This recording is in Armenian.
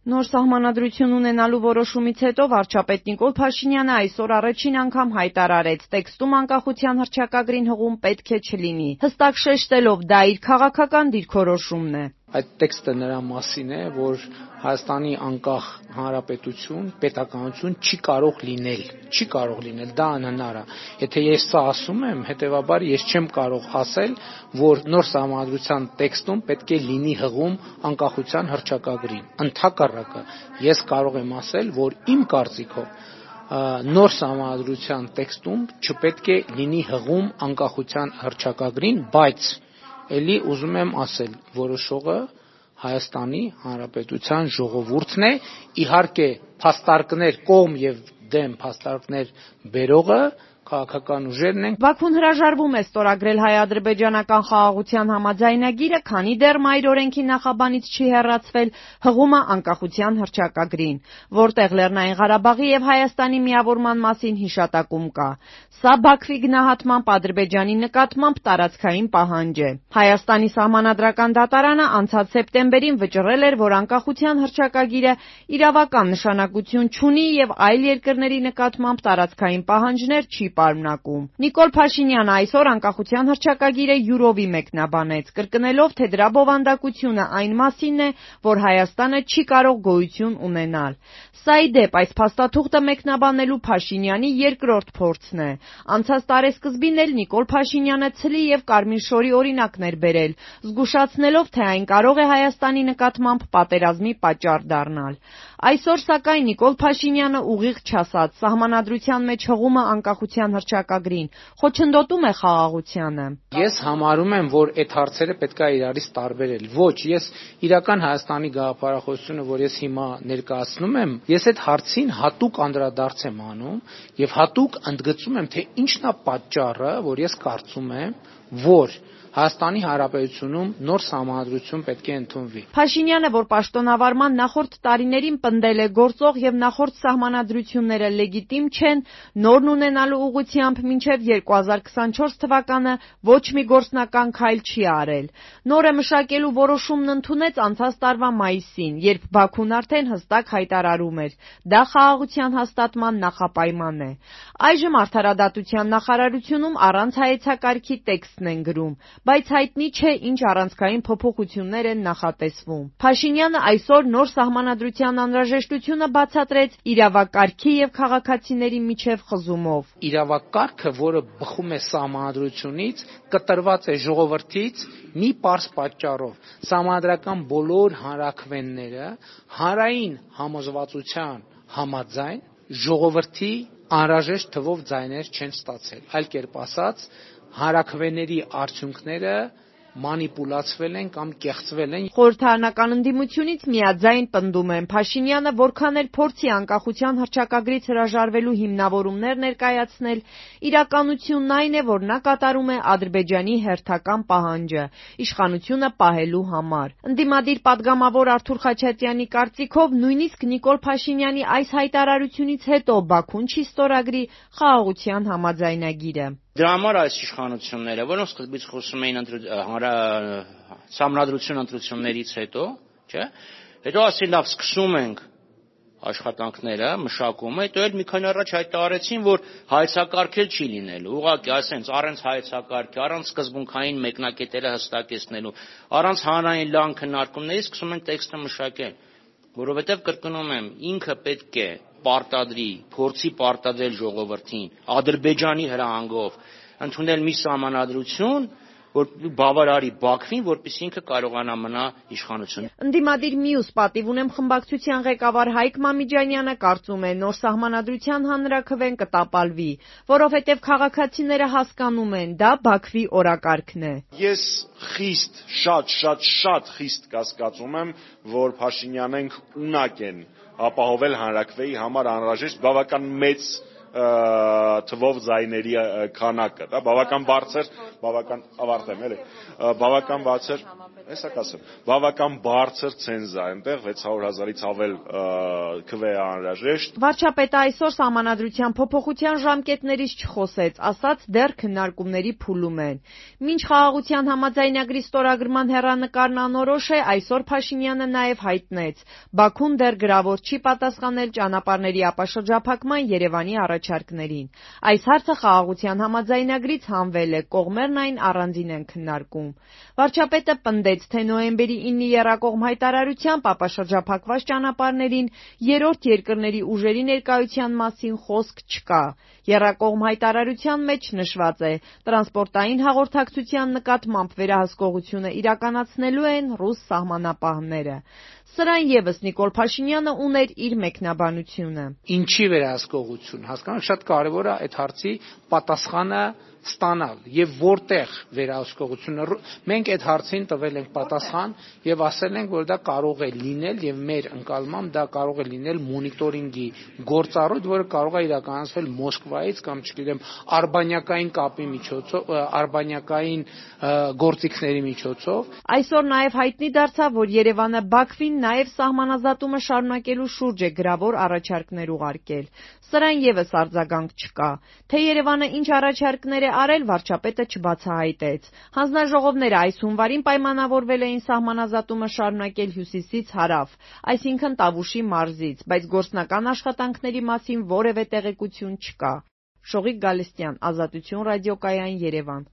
Նոր սահմանադրություն ունենալու որոշումից հետո վարչապետ Նիկոլ Փաշինյանը այսօր առաջին անգամ հայտարարեց, տեքստում անկախության հռչակագրին հղում պետք է չլինի, հստակ շեշտելով, դա իր քաղաքական դիրքորոշումն է։ Այդ տեքստը նրա մասին է, որ Հայաստանի անկախ հանրապետություն, պետականություն չի կարող լինել, դա անհնար է։ Եթե ես սա ասում եմ, հետեւաբար ես չեմ կարող ասել, որ նոր սահմանադրության տեքստում պետք է լինի հղում անկախության հռչակագրին։ Ընդհակառակը, ես կարող եմ ասել, որ իմ կարծիքով նոր սահմանադրության տեքստում չպետք է լինի հղում անկախության հռչակագրին, բայց էլի ուզում եմ ասել, որոշողը Հայաստանի Հանրապետության ժողովուրդն է, իհարկե փաստարկներ կողմ եւ դեմ փաստարկներ բերողը քաղաքական ուժերն են։ Բաքուն հրաժարվում է ստորագրել հայ-ադրբեջանական խաղաղության համաձայնագիրը, քանի դեռ մայր օրենքի նախաբանից չի հեռացվել հղումը անկախության հռչակագրին, որտեղ Լեռնային Ղարաբաղի եւ Հայաստանի միավորման մասին հիշատակում կա։ Սա Բաքվի գնահատմամբ Ադրբեջանի նկատմամբ տարածքային պահանջ է։ Հայաստանի սահմանադրական դատարանը անցած սեպտեմբերին վճռել էր, որ անկախության հռչակագիրը իրավական նշանակություն չունի եւ այլ երկրների նկատմամբ տարածքային պահանջներ չի պարունակում։ Նիկոլ Փաշինյանը այսօր անկախության հռչակագիրը յուրովի մեկնաբանեց, կրկնելով, թե դրա բովանդակությունը այն մասինն է, որ Հայաստանը չի կարող գոյություն ունենալ։ Սա ի դեպ այս փաստաթուղթը մեկնաբանելու Փաշինյանի երկրորդ փորձն է։ Անցած տարեսկզբին էլ Նիկոլ Փաշինյանը ցլի եւ կարմիր շորի օրինակներ բերել, զգուշացնելով, թե այն կարող է Հայաստանի նկատմամբ պատերազմի պատճառ դառնալ։ Այսօր սակայն Նիկոլ Փաշինյանը ուղիղ չասաց, սահմանադրության մեջ հղումը անկախության հռչակագրին խոչընդոտում է խաղաղությանը։ Ես համարում եմ, որ այդ հարցերը պետք է իրարից տարբերել։ Ոչ, ես իրական Հայաստանի գաղափարախոսությունը, որ ես հիմա ներկայացնում եմ, ես այդ հարցին հատուկ անդրադարձ եմ անում եւ հատուկ ընդգծում եմ, թե ինչն է պատճառը, որ ես կարծում եմ, որ Հայաստանի Հանրապետությունում նոր սահմանադրություն պետք է ընդունվի։ Փաշինյանը, որ պաշտոնավարման նախորդ տարիներին պնդել է գործող եւ նախորդ սահմանադրությունները լեգիտիմ չեն, նորն ունենալու ուղղությամբ մինչեւ 2024 թվականը ոչ մի գործնական քայլ չի արել։ Նորը մշակելու որոշումն ընդունեց անցած տարվա մայիսին, երբ Բաքուն արդեն հստակ հայտարարում էր. դա խաղաղության հաստատման նախապայման է։ Այժմ Արդարադատության նախարարությունում առանց հայեցակարգի տեքստն են գրում, բայց հայտնի չէ ինչ առանցքային փոփոխություններ են նախատեսվում։ Փաշինյանը այսօր նոր սահմանադրության անհրաժեշտությունը բացատրեց իրավակարգի եւ քաղաքացիների միջև խզումով։ Իրավակարգը, որը բխում է սահմանադրությունից, կտրված է ժողովրդից մի պարզ պատճառով։ Սահմանադրական բոլոր հանրաքվենները հանրային համոզվածության համաձայն ժողովրդի անհրաժեշտ թվով ձայներ չեն ստացել։ Այլ կերպ ասած, հանրաքվեների արդյունքները մանիպուլացվել են կամ կեղծվել են։ Խորհրդարանական ընդդիմությունից միաձայն պնդում են, Փաշինյանը որքան էլ փորձի անկախության հռչակագրից հրաժարվելու հիմնավորումներ ներկայացնել, իրականությունն այն է, որ նա կատարում է Ադրբեջանի հերթական պահանջը՝ իշխանությունը պահելու համար։ Ընդդիմադիր պատգամավոր Արթուր Խաչատրյանի կարծիքով, նույնիսկ Նիկոլ Փաշինյանի այս հայտարարությունից հետո Բաքուն չի ստորագրի խաղաղության համաձայնագիրը։ Դրա համար այս իշխանությունները, որոնք սկզբից խոսում էին սահմանադրություն ընտրություններից հետո, չէ՞, հետո ասին լավ, սկսում ենք աշխատանքները, մշակումը, հետո էլ մի քանի առաջ հայտարարեցին, որ հայեցակարգել չի լինելու, ուղղակի ասենց առանց հայեցակարգի, առանց սկզբունքային մեկնակետերը հստակեցնելու, առանց հանրային լայն քննարկումների սկսում են տեքստը մշակել, որովհետև կրկնում եմ, ինքը պետք է պարտադրի, փորձի պարտադրել ժողովրդին Ադրբեջանի հրահանգով ընդունել մի սահմանադրություն, որ բավարարի Բաքվին, որպեսզի ինքը կարողանա մնա իշխանություն։ Ընդդիմադիր մյուս պատիվ ունեմ խմբակցության ղեկավար Հայկ Մամիջանյանը կարծում է, նոր սահմանադրության հանրաքվեն կտապալվի, որովհետև քաղաքացիները հասկանում են, դա Բաքվի օրակարգն է։ Ես շատ խիստ կասկածում եմ, որ Փաշինյանենք ունակ են ապահովել հանրաքվեի համար անհրաժեշտ բավական մեծ թվով ձայների քանակը, դա բավական բարձր, բավական ավարտեմ, էլի, բավական բարձր Հեսա կասեմ, բավական բարձր ցենզ է այնտեղ 600,000-ից ավել քվե անհրաժեշտ։ Վարչապետը այսօր սահմանադրության փոփոխության ժամկետներից չխոսեց, ասաց դեռ քննարկումների փուլում են։ Մինչ խաղաղության համաձայնագրի ստորագրման հեռանկարն անորոշ է, այսօր Փաշինյանը նաև հայտնեց. Բաքուն դեռ գրավոր չի պատասխանել ճանապարհների ապաշրջափակման Երևանի առաջարկներին։ Այս հարցը խաղաղության համաձայնագրից հանվել է, կողմերն այն առանձին են քննարկում։ Վարչապետը պնդեց, թե նոյեմբերի 9-ի եռակողմ հայտարարությամբ ապաշրջափակված ճանապարհներին երրորդ երկրների ուժերի ներկայության մասին խոսք չկա։ Եռակողմ հայտարարության մեջ նշված է. տրանսպորտային հաղորդակցության նկատմամբ վերահսկողությունը իրականացնելու են ռուս սահմանապահները։ Սրան ևս Նիկոլ Փաշինյանը ուներ իր մեկնաբանությունը։ Ինչի վերահսկողություն, հասկանանք, շատ կարևոր է այդ հարցի պատասխանը ստանալ եւ որտեղ վերահսկողությունը։ Մենք այդ հարցին տվել ենք պատասխան եւ ասել ենք, որ դա կարող է լինել եւ մեր ընկալմամբ դա կարող է լինել մոնիտորինգի գործառույթ, որը կարող է իրականացվել Մոսկվայից կամ չգիտեմ արբանյակային կապի միջոցով, արբանյակային գործիքների միջոցով։ Այսօր նաև հայտնի դարձավ, որ Երևանը Բաքվին նաև սահմանազատումը շարունակելու շուրջ է գրավոր առաջարկներ ուղարկել։ Սրան ևս արձագանք չկա։ Թե Երևանը ինչ առաջարկներ է արել, վարչապետը չբացահայտեց։ Հանձնաժողովները այս հունվարին պայմանավորվել էին սահմանազատումը շարունակել հյուսիսից հարավ, այսինքն Տավուշի մարզից, բայց գործնական աշխատանքների մասին որևէ տեղեկություն չկա։ Շողիկ Գալստյան, Ազատություն ռադիոկայան, Երևան։